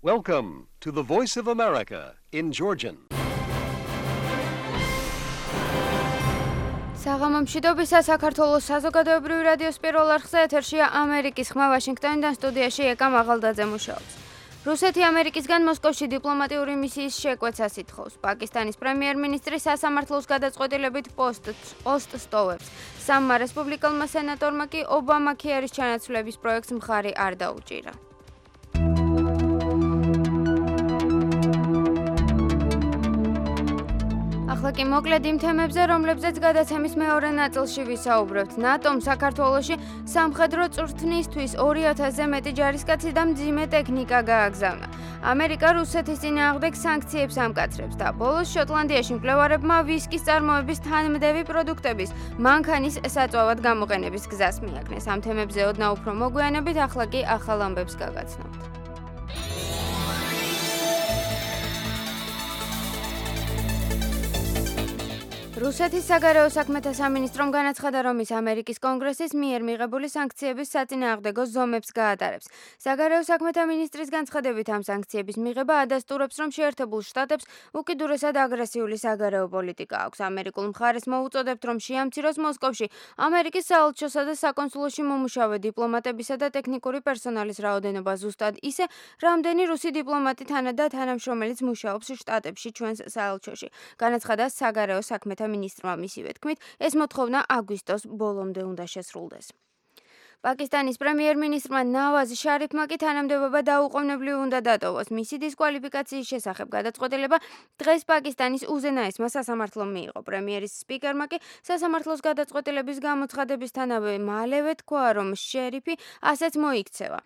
Welcome to the Voice of America in Georgian. საღამომშვიდობისა საქართველოს საზოგადოებრივი რადიოს პირველ არხზე ეთერშია ამერიკის ხმა ვაშინგტონიდან სტუდიაში ეკა მაღალდაძე მუშაობს. რუსეთი ამერიკისგან მოსკოვში დიპლომატიური მისიის შეკვეცას ითხოვს. პაკისტანის პრემიერ-მინისტრი სასამართლოს გადაწყვეტილებით პოსტს ტოვებს. სამმა რესპუბლიკელმა სენატორმა კი ობამა-ქეარის ჩანაცვლების პროექტს მხარი არ დაუჭირა. ახლა კი მოკლედ იმ თემებზე, რომლებზეც გადაცემის მეორე ნაწილში ვისაუბრებთ. ნატომ საქართველოში სამხედრო წვრთნისთვის 2000-ზე მეტი ჯარისკაცი და მძიმე ტექნიკა გააგზავნა. ამერიკა რუსეთის წინააღმდეგ სანქციებს ამკაცრებს და ბოლოს შოტლანდიაში მკვლევარებმა ვისკის წარმოების თანმდევი პროდუქტების მანქანის საწვავად გამოყენების გზას მიაკნეს. ამ თემებზე ოდნავ უფრო მოგვიანებით, ახლა კი ახალ ამბებს გაგაცნობთ. რუსეთის საგარეო საქმეთა სამინისტრომ განაცხადა, რომ ის ამერიკის კონგრესის მიერ მიღებული სანქციების საწინააღმდეგო ზომებს გაატარებს. საგარეო საქმეთა მინისტრის განცხადებით ამ სანქციების მიღება ადასტურებს, რომ შეერთებულ შტატებს უკიდურესად აგრესიული საგარეო პოლიტიკა აქვს. ამერიკულ მხარეს მოუწოდებთ, რომ შეამციროს მოსკოვში ამერიკის საელჩოსა და საკონსულოში მომუშავე დიპლომატებისა და ტექნიკური პერსონალის რაოდენობა ზუსტად ისე, რამდენი რუსი დიპლომატი და თანამშრომელიც მუშაობს შტატებში ჩვენს საელჩოში. განაცხადა საგარეო საქმეთა მინისტრმა მისივე თქმით, ეს მოთხოვნა აგვისტოს ბოლომდე უნდა შესრულდეს. პაკისტანის პრემიერ-მინისტრმა ნავაზ შარიფმა კი თანამდებობა დაუყოვნებლივ უნდა დატოვოს. მისი დისკვალიფიკაციის შესახებ გადაწყვეტილება დღეს პაკისტანის უზენაესმა სასამართლომ მიიღო. პრემიერის სპიკერმა კი სასამართლოს გადაწყვეტილების გამოცხადებისთანავე მალევე თქვა, რომ შერიფი ასეც მოიქცევა.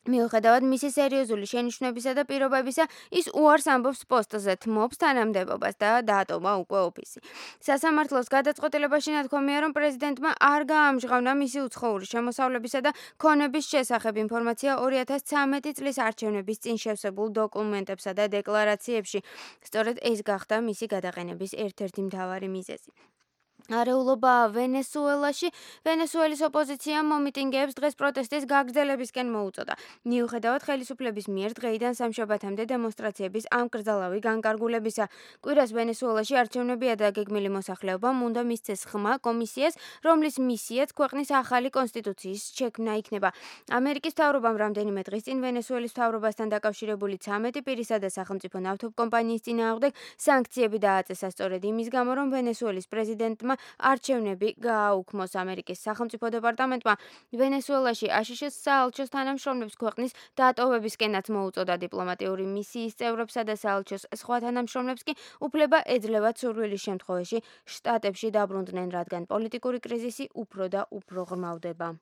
მიუხედავად მისი სერიოზული შენიშვნებისა და პირობებისა, ის უარს ამბობს პოსტზე, თმობს თანამდებობას და დაატოვა უკვე ოფისი. სასამართლოს გადაწყვეტილებაში ნათქვამია, რომ პრეზიდენტმა არ გაამჟღავნა მისი უცხოური შემოსავლებისა და ქონების შესახებ ინფორმაცია 2013 წლის არჩევნების წინ შევსებულ დოკუმენტებსა და დეკლარაციებში. სწორედ ეს გახდა მისი გადაყენების ერთ-ერთი მთავარი მიზეზი. არეულობა ვენესუელაში ვენესუელის ოპოზიციამ მომიტინგეებს დღეს პროტესტის გაგრძელებისკენ მოუწოდა. მიუხედავად ხელისუფლების მიერ დღეიდან სამშაბათამდე დემონსტრაციების ამკრძალავი განკარგულებისა, კვირას ვენესუელაში არჩევნებია და გეგმილი მოსახლეობამ უნდა მისცეს ხმა კომისიას, რომლის მისიაც ქვეყნის ახალი კონსტიტუციის შექმნა იქნება. ამერიკის მთავრობამ რამდენიმე დღის წინ ვენესუელის მთავრობასთან დაკავშირებული 13 პირისა და სახელმწიფო ნავთობკომპანიის წინააღმდეგ სანქციები დააწესა სწორედ იმის გამო, რომ ვენესუელის პრეზიდენტმა არჩევნები გააუქმოს. ამერიკის სახელმწიფო დეპარტამენტმა ვენესუელაში აშშ-ის საელჩოს თანამშრომლებს ქვეყნის დატოვებისკენაც მოუწოდა. დიპლომატიური მისიის წევრებსა და საელჩოს სხვა თანამშრომლებს კი უფლება ეძლევათ სურვილის შემთხვევაში შტატებში დაბრუნდნენ, რადგან პოლიტიკური კრიზისი უფრო და უფრო ღრმავდება.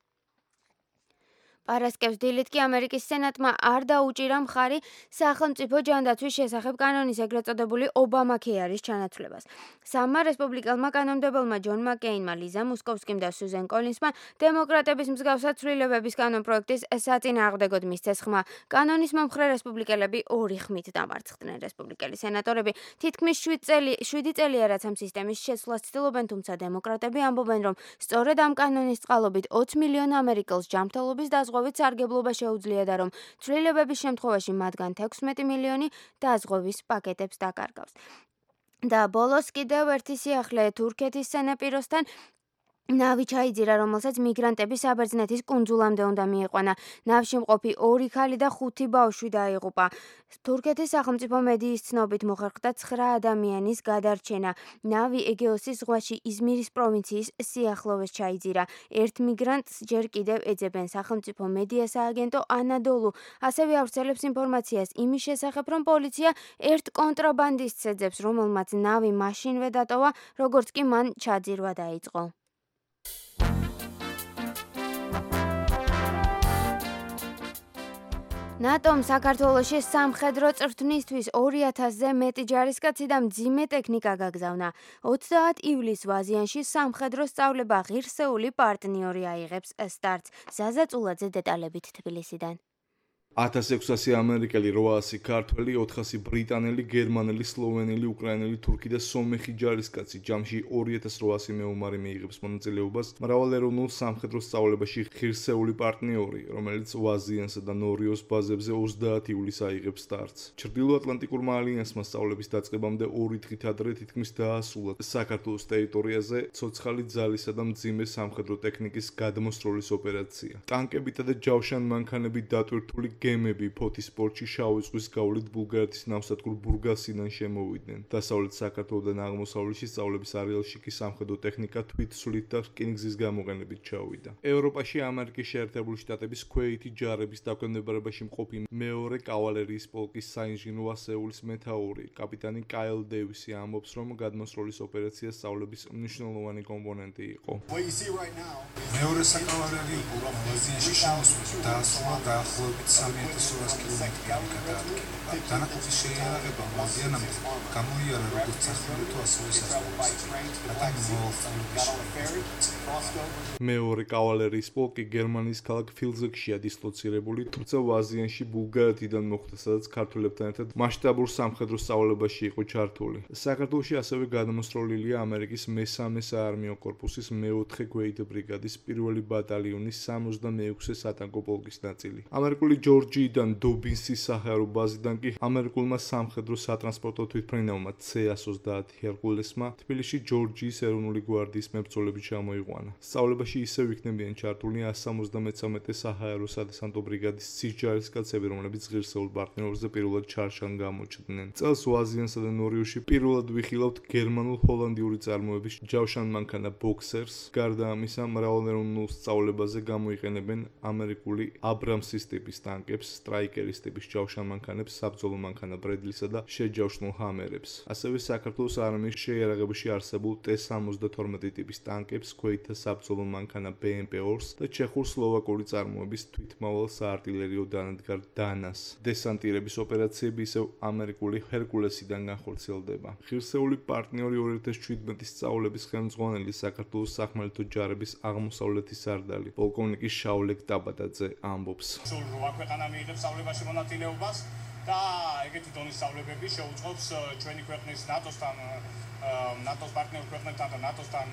პარასკევს დილით კი ამერიკის სენატმა არ დაუჭირა მხარი სახელმწიფო ჯანდაცვის შესახებ კანონის ეგრეთ წოდებული ობამა-ქეარის ჩანაცვლებას. სამმა რესპუბლიკელმა კანონმდებელმა ჯონ მაკეინმა, ლიზა მოსკოვსკიმ და სუზენ კოლინსმა დემოკრატების მსგავსად ცვლილებების კანონპროექტის საწინააღმდეგოდ მისცეს ხმა. კანონის მომხრე რესპუბლიკელები 2 ხმით დამარცხდნენ. რესპუბლიკელი სენატორები თითქმის 7 წელია, რაც ამ სისტემის შეცვლას ცდილობენ, თუმცა დემოკრატები ამბობენ, რომ სწორედ ამ კანონის წყალობით 20 მილიონ ამერიკელს ჯანმრთელობის დაზღვევით სარგებლობა შეუძლია და რომ ცვლილებების შემთხვევაში მათგან 16 მილიონი დაზღვევის პაკეტებს დაკარგავს. და ბოლოს კიდევ ერთი სიახლე თურქეთის სანაპიროსთან ნავი ჩაიძირა, რომელსაც მიგრანტები საბერძნეთის კუნძულამდე უნდა მიიყვანა. ნავში მყოფი 2 ქალი და 5 ბავშვი დაიღუპა. თურქეთის სახელმწიფო მედიის ცნობით მოხერხდა 9 ადამიანის გადარჩენა. ნავი ეგეოსის ზღვაში იზმირის პროვინციის სიახლოვეს ჩაიძირა. ერთ მიგრანტს ჯერ კიდევ ეძებენ. სახელმწიფო მედია სააგენტო ანადოლუ ასევე ავრცელებს ინფორმაციას იმის შესახებ, რომ პოლიცია ერთ კონტრაბანდისტს ეძებს, რომელმაც ნავი მაშინვე დატოვა, როგორც კი მან ჩაძირვა დაიწყო. ნატომ საქართველოში სამხედრო წვრთნისთვის 2000-ზე მეტი ჯარისკაცი და მძიმე ტექნიკა გაგზავნა. 30 ივლისს ვაზიანში სამხედრო სწავლება ღირსეული პარტნიორი აიღებს სტარტს. ზაზა წულაძე დეტალებით თბილისიდან. 1600 ამერიკელი, 800 ქართველი, 400 ბრიტანელი, გერმანელი, სლოვენელი, უკრაინელი, თურქი და სომეხი ჯარისკაცი. ჯამში 2800 მეომარი მიიღებს მონაწილეობას მრავალეროვნულ სამხედრო სწავლებაში ღირსეული პარტნიორი, რომელიც ვაზიანსა და ნორიოს ბაზებზე 30 ივლისს აიღებს სტარტს. ჩრდილოატლანტიკურმა ალიანსმა სწავლების დაწყებამდე 2 დღით ადრე თითქმის დაასრულა საქართველოს ტერიტორიაზე ცოცხალი ძალისა და მძიმე სამხედრო ტექნიკის გადმოსროლის ოპერაცია. ტანკებითა და ჯავშან მანქანებით დატვირთული გემები ფოთის პორტში შავი ზღვის გავლით ბულგარეთის ნავსადგურ ბურგასიდან შემოვიდნენ. დასავლეთ საქართველოდან აღმოსავლეთში სწავლების არეალში კი სამხედრო ტექნიკა თვითსვლით და რკინიგზის გამოყენებით ჩავიდა. ევროპაში ამერიკის შეერთებული შტატების ქვეითი ჯარების დაქვემდებარებაში მყოფი მეორე კავალერიის პოლკის საინჟინრო ასეულის მეთაური კაპიტანი კაილ დევისი ამბობს, რომ გადმოსროლის ოპერაცია სწავლების მნიშვნელოვანი კომპონენტი იყო. მეორე საკავალერიო პოლკი ვაზიანში შემოსვლის დაასრულა დაახლოებით 3200 კილომეტრი გადაადგილება. დანაყოფის შეიარაღება ვაზიანამდე გამოიარა როგორც სახმელეთო, ასევე საზღვაო. მეორე კავალერიის პოლკი გერმანიის ქალაქ ფილზეგშია დისლოცირებული, თუმცა ვაზიანში ბულგარეთიდან მოხვდა, სადაც ქართველებთან ერთად მასშტაბურ სამხედრო სწავლებაში იყო ჩართული. საქართველოში ასევე გადმოსროლილია ამერიკის მესამე საარმიო კორპუსის მეოთხე ქვეითი ბრიგადის 1-ელი ბატალიონის 66 სატანკო პოლკის ნაწილი. ამერიკული ჯორჯიიდან დობინსის საჰაერო ბაზიდან კი ამერიკულმა სამხედრო სატრანსპორტო თვითმფრინავმა C-130 ჰერკულესმა თბილისში ჯორჯიის ეროვნული გვარდიის მებრძოლები ჩამოიყვანა. სწავლებაში ისევ იქნებიან ჩართული 173 საჰაერო სადესანტო ბრიგადის ცის ჯარისკაცები, რომლებიც ღირსეულ პარტნიორზე პირველად ჩარშან გამოჩნდნენ. წელს ვაზიანსა და ნორიოში პირველად ვიხილავთ გერმანულ-ჰოლანდიური წარმოების ჯავშან მანქანა ბოქსერს. გარდა ამისა, მრავალეროვნულ სწავლებაზე გამოიყენებენ ამერიკული აბრამსის ტიპის ტანკებს, სტრაიკერის ტიპის ჯავშან მანქანებს, საბრძოლო მანქანა ბრედლისა და შეჯავშნულ ჰამერებს. ასევე საქართველოს არმიის შეიარაღებაში არსებულ T-72 ტიპის ტანკებს, ქვეითთა საბრძოლო მანქანა BMP-2-ს და ჩეხურ-სლოვაკური წარმოების თვითმავალ საარტილერიო დანადგარ დანას. დესანტირების ოპერაციები ისევ ამერიკული ჰერკულესიდან განხორციელდება. ღირსეული პარტნიორი 2017 სწავლების ხელმძღვანელი საქართველოს სახმელეთო ჯარების აღმოსავლეთის სარდალი პოლკოვნიკი შავლეკ ტაბატაძე ამბობს. რვა ქვეყანა მიიღებს სწავლებაში მონაწილეობას და ეგეთი დონის სწავლებები შეუწყობს ჩვენი ქვეყნის ნატოს პარტნიორ ქვეყნებთან და ნატოსთან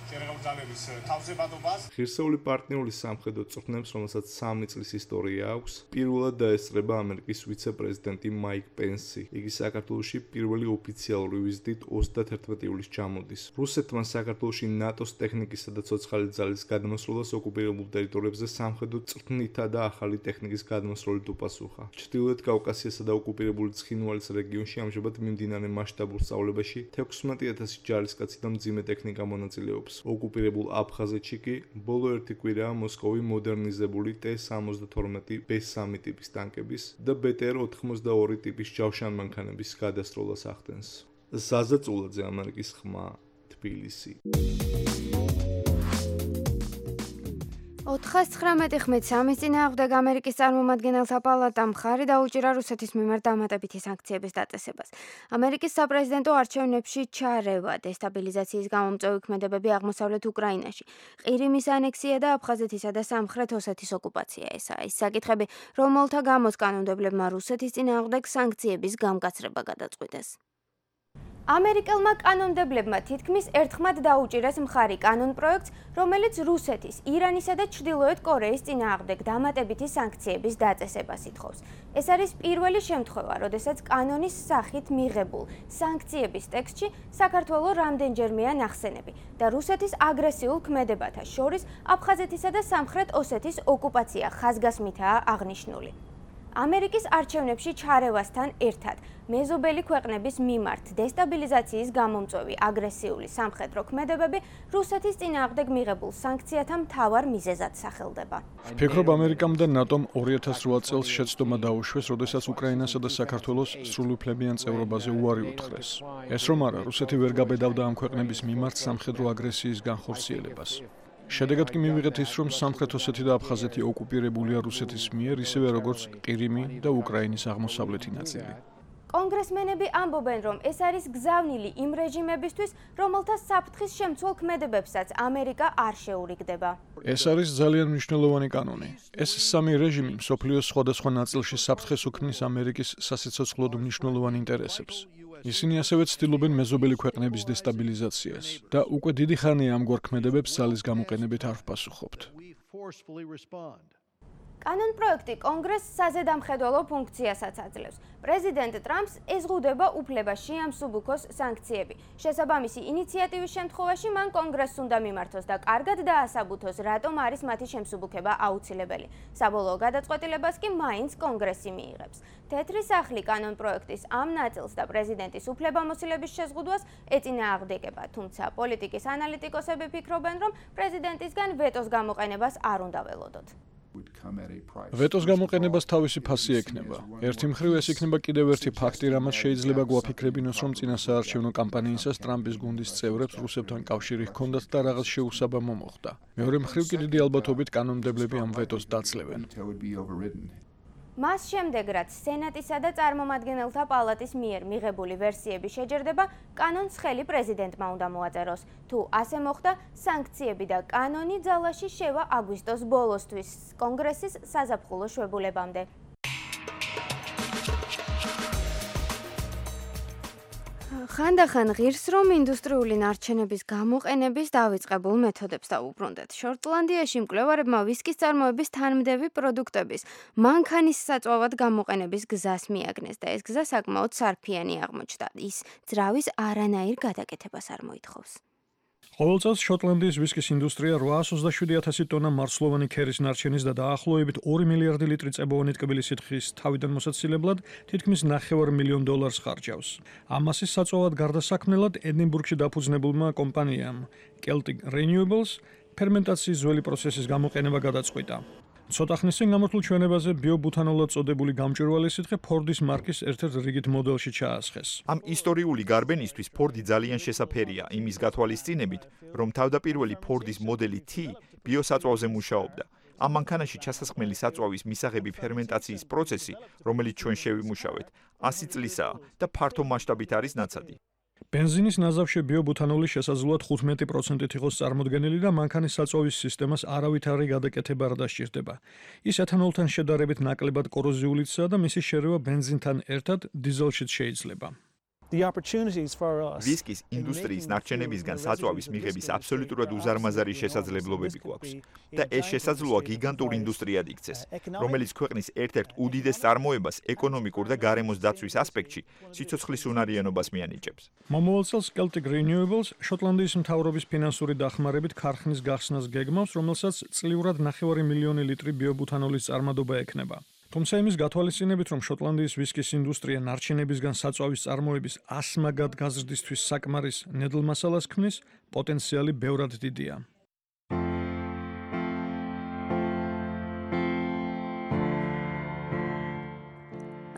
შეერაღებული ძალების თავზებადობას. ღირსეული პარტნიორი სამხედრო წვრთნებს, რომელსაც 3 წლის ისტორია აქვს, პირველად დაესწრება ამერიკის ვიცე-პრეზიდენტი მაიკ პენსი. იგი საქართველოში პირველი ოფიციალური ვიზიტით 31 ივლისს ჩამოდის. რუსეთმა საქართველოში ნატოს ტექნიკისა და ცოცხალი ძალის გადმოსროლას ოკუპირებულ ტერიტორიებზე სამხედრო წვრთნითა და ახალი ტექნიკის გადმოსროლით უპასუხა. ჩრდილოეთ კავკასიასა და ოკუპირებული ცხინვალის რეგიონში ამჟამად მიმდინარე მასშტაბურ სწავლებაში 16,000 ჯარისკაცი და მძიმე ტექნიკა მონაწილეობს. ოკუპირებულ აფხაზეთში კი ბოლო 1 კვირაა მოსკოვი მოდერნიზებული T-72 B3 ტიპის ტანკების და BTR-82 ტიპის ჯავშან მანქანების გადასროლას ახდენს. ზაზა წულაძე, ამერიკის ხმა, თბილისი. 419 ხმით-3-ის წინააღმდეგ ამერიკის წარმომადგენელთა პალატამ მხარი დაუჭირა რუსეთის მიმართ დამატებითი სანქციების დაწესებას. ამერიკის საპრეზიდენტო არჩევნებში ჩარევა, დესტაბილიზაციის გამომწვევი ქმედებები აღმოსავლეთ უკრაინაში, ყირიმის ანექსია და აფხაზეთისა და სამხრეთ ოსეთის ოკუპაცია. ესაა ის საკითხები, რომელთა გამოც კანონმდებლებმა რუსეთის წინააღმდეგ სანქციების გამკაცრება გადაწყვიტეს. ამერიკელმა კანონმდებლებმა თითქმის ერთხმად დაუჭირეს მხარი კანონპროექტს, რომელიც რუსეთის, ირანისა და ჩრდილოეთ კორეის წინააღმდეგ დამატებითი სანქციების დაწესებას ითხოვს. ეს არის პირველი შემთხვევა, როდესაც კანონის სახით მიღებულ სანქციების ტექსტში საქართველოს რამდენჯერმეა ნახსენები და რუსეთის აგრესიულ ქმედებათა შორის აფხაზეთისა და სამხრეთ ოსეთის ოკუპაცია ხაზგასმითაა აღნიშნული. ამერიკის არჩევნებში ჩარევასთან ერთად მეზობელი ქვეყნების მიმართ დესტაბილიზაციის გამომწვევი აგრესიული სამხედრო ქმედებები რუსეთის წინააღმდეგ მიღებულ სანქციათა მთავარ მიზეზად სახელდება. ვფიქრობ, ამერიკამ და ნატომ 2008 წელს შეცდომა დაუშვეს, როდესაც უკრაინასა და საქართველოს სრულუფლებიან წევრობაზე უარი უთხრეს. ეს რომ არა, რუსეთი ვერ გაბედავდა ამ ქვეყნების მიმართ სამხედრო აგრესიის განხორციელებას. შედეგად კი მივიღეთ ის, რომ სამხრეთ ოსეთი და აფხაზეთი ოკუპირებულია რუსეთის მიერ, ისევე როგორც ყირიმი და უკრაინის აღმოსავლეთი ნაწილი. კონგრესმენები ამბობენ, რომ ეს არის გზავნილი იმ რეჟიმებისთვის, რომელთა საფრთხის შემცველ ქმედებებსაც ამერიკა არ შეურიგდება. ეს არის ძალიან მნიშვნელოვანი კანონი. ეს სამი რეჟიმი მსოფლიოს სხვადასხვა ნაწილში საფრთხეს უქმნის ამერიკის სასიცოცხლოდ მნიშვნელოვან ინტერესებს. ისინი ასევე ცდილობენ მეზობელი ქვეყნების დესტაბილიზაციას და უკვე დიდი ხანია ამგვარ ქმედებებს ძალის გამოყენებით არ ვპასუხობთ. კანონპროექტი კონგრესს საზედამხედველო ფუნქციასაც აძლევს. პრეზიდენტ ტრამპს ეზღუდება უფლება შეამსუბუქოს სანქციები. შესაბამისი ინიციატივის შემთხვევაში მან კონგრესს უნდა მიმართოს და კარგად დაასაბუთოს, რატომ არის მათი შემსუბუქება აუცილებელი. საბოლოო გადაწყვეტილებას კი მაინც კონგრესი მიიღებს. თეთრი სახლი კანონპროექტის ამ ნაწილს და პრეზიდენტის უფლებამოსილების შეზღუდვას ეწინააღმდეგება, თუმცა პოლიტიკის ანალიტიკოსები ფიქრობენ, რომ პრეზიდენტისგან ვეტოს გამოყენებას არ უნდა ველოდოთ. ვეტოს გამოყენებას თავისი ფასი ექნება. ერთი მხრივ ეს იქნება კიდევ ერთი ფაქტი, რამაც შეიძლება გვაფიქრებინოს, რომ წინასაარჩევნო კამპანიისას ტრამპის გუნდის წევრებს რუსებთან კავშირი ჰქონდათ და რაღაც შეუსაბამო მოხდა. მეორე მხრივ კი დიდი ალბათობით კანონმდებლები ამ ვეტოს დაძლევენ. მას შემდეგ, რაც სენატისა და წარმომადგენელთა პალატის მიერ მიღებული ვერსიები შეჯერდება, კანონს ხელი პრეზიდენტმა უნდა მოაწეროს. თუ ასე მოხდა, სანქციები და კანონი ძალაში შევა აგვისტოს ბოლოსთვის, კონგრესის საზაფხულო შვებულებამდე. ხანდახან ღირს, რომ ინდუსტრიული ნარჩენების გამოყენების დავიწყებულ მეთოდებს დაუბრუნდეთ. შოტლანდიაში მკვლევარებმა ვისკის წარმოების თანმდევი პროდუქტების მანქანის საწვავად გამოყენების გზას მიაგნეს და ეს გზა საკმაოდ სარფიანი აღმოჩნდა. ის ძრავის არანაირ გადაკეთებას არ მოითხოვს. ყოველ წელს შოტლანდიის ვისკის ინდუსტრია 827,000 ტონა მარცვლოვანი ქერის ნარჩენის და დაახლოებით 2 მილიარდი ლიტრი წებოვანი ტკბილი სითხის თავიდან მოსაცილებლად თითქმის $900 მილიონ ხარჯავს. ამ მასის საწვავად გარდასაქმნელად ედინბურგში დაფუძნებულმა კომპანიამ Celtic Renewables ფერმენტაციის ძველი პროცესის გამოყენება გადაწყვიტა. ცოტა ხნის წინ გამართულ ჩვენებაზე ბიობუთანოლად წოდებული გამჭვირვალე სითხე Ford-ის მარკის ერთ-ერთ რიგით მოდელში ჩაასხეს. ამ ისტორიული გარბენისთვის Ford-ი ძალიან შესაფერია იმის გათვალისწინებით, რომ თავდაპირველი Ford-ის მოდელი T ბიოსაწვავზე მუშაობდა. ამ მანქანაში ჩასასხმელი საწვავის მისაღები ფერმენტაციის პროცესი, რომელიც ჩვენ შევიმუშავეთ, 100 წლისაა და ფართო მასშტაბით არის ნაცადი. ბენზინის ნაზავში ბიობუთანოლი შესაძლოა 15%-ით იყოს წარმოდგენილი და მანქანის საწვავის სისტემას არავითარი გადაკეთება არ დასჭირდება. ის ეთანოლთან შედარებით ნაკლებად კოროზიულიცაა და მისი შერევა ბენზინთან ერთად დიზელშიც შეიძლება. ვისკის ინდუსტრიის ნარჩენებისგან საწვავის მიღების აბსოლუტურად უზარმაზარი შესაძლებლობები გვაქვს და ეს შესაძლოა გიგანტურ ინდუსტრიად იქცეს, რომელიც ქვეყნის ერთ-ერთ უდიდეს წარმოებას ეკონომიკურ და გარემოს დაცვის ასპექტში სიცოცხლის უნარიანობას მიანიჭებს. მომავალ წელს Celtic Renewables შოტლანდიის მთავრობის ფინანსური დახმარებით ქარხნის გახსნას გეგმავს, რომელსაც წლიურად 900 მილიონი ლიტრი ბიობუთანოლის წარმადობა ექნება. თუმცა იმის გათვალისწინებით, რომ შოტლანდიის ვისკის ინდუსტრია ნარჩენებისგან საწვავის წარმოების 100 მაგად გაზრდისთვის საკმარის ნედლ მასალას ქმნის, პოტენციალი ბევრად დიდია.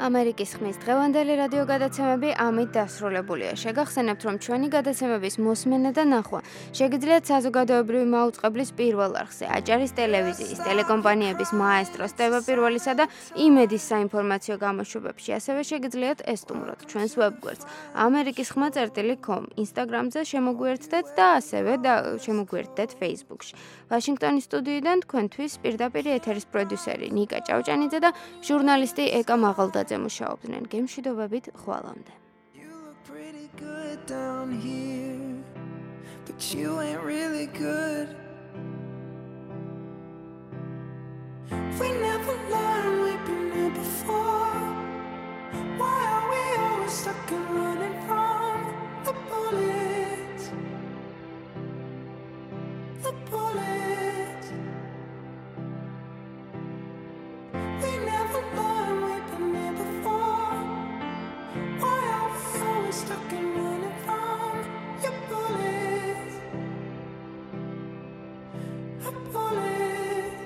ამერიკის ხმის დღევანდელი რადიო გადაცემები ამით დასრულებულია. შეგახსენებთ, რომ ჩვენი გადაცემების მოსმენა და ნახვა შეგიძლიათ საზოგადოებრივი მაუწყებლის პირველ არხზე, აჭარის ტელევიზიის, ტელეკომპანიების მაესტროს, TV პირველისა და იმედის საინფორმაციო გამოშვებებში. ასევე შეგიძლიათ ესტუმროთ ჩვენს ვებგვერდს amerikisxma.com, Instagram-ზე შემოგვიერთდეთ და ასევე შემოგვიერთდეთ Facebook-ში. ვაშინგტონის სტუდიიდან თქვენთვის პირდაპირ ეთერის პროდიუსერი ნიკა ჭავჭანიძე და ჟურნალისტი ეკა მაღალდაძე მუშაობდნენ. გემშვიდობებით, ხვალამდე. We never learned we've been here before. Why are we always stuck and running from the bullets? The bullets. We never learned we've been here before. Why are we always stuck and running from your bullets? A bullet.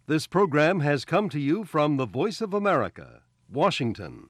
This program has come to you from the Voice of America, Washington.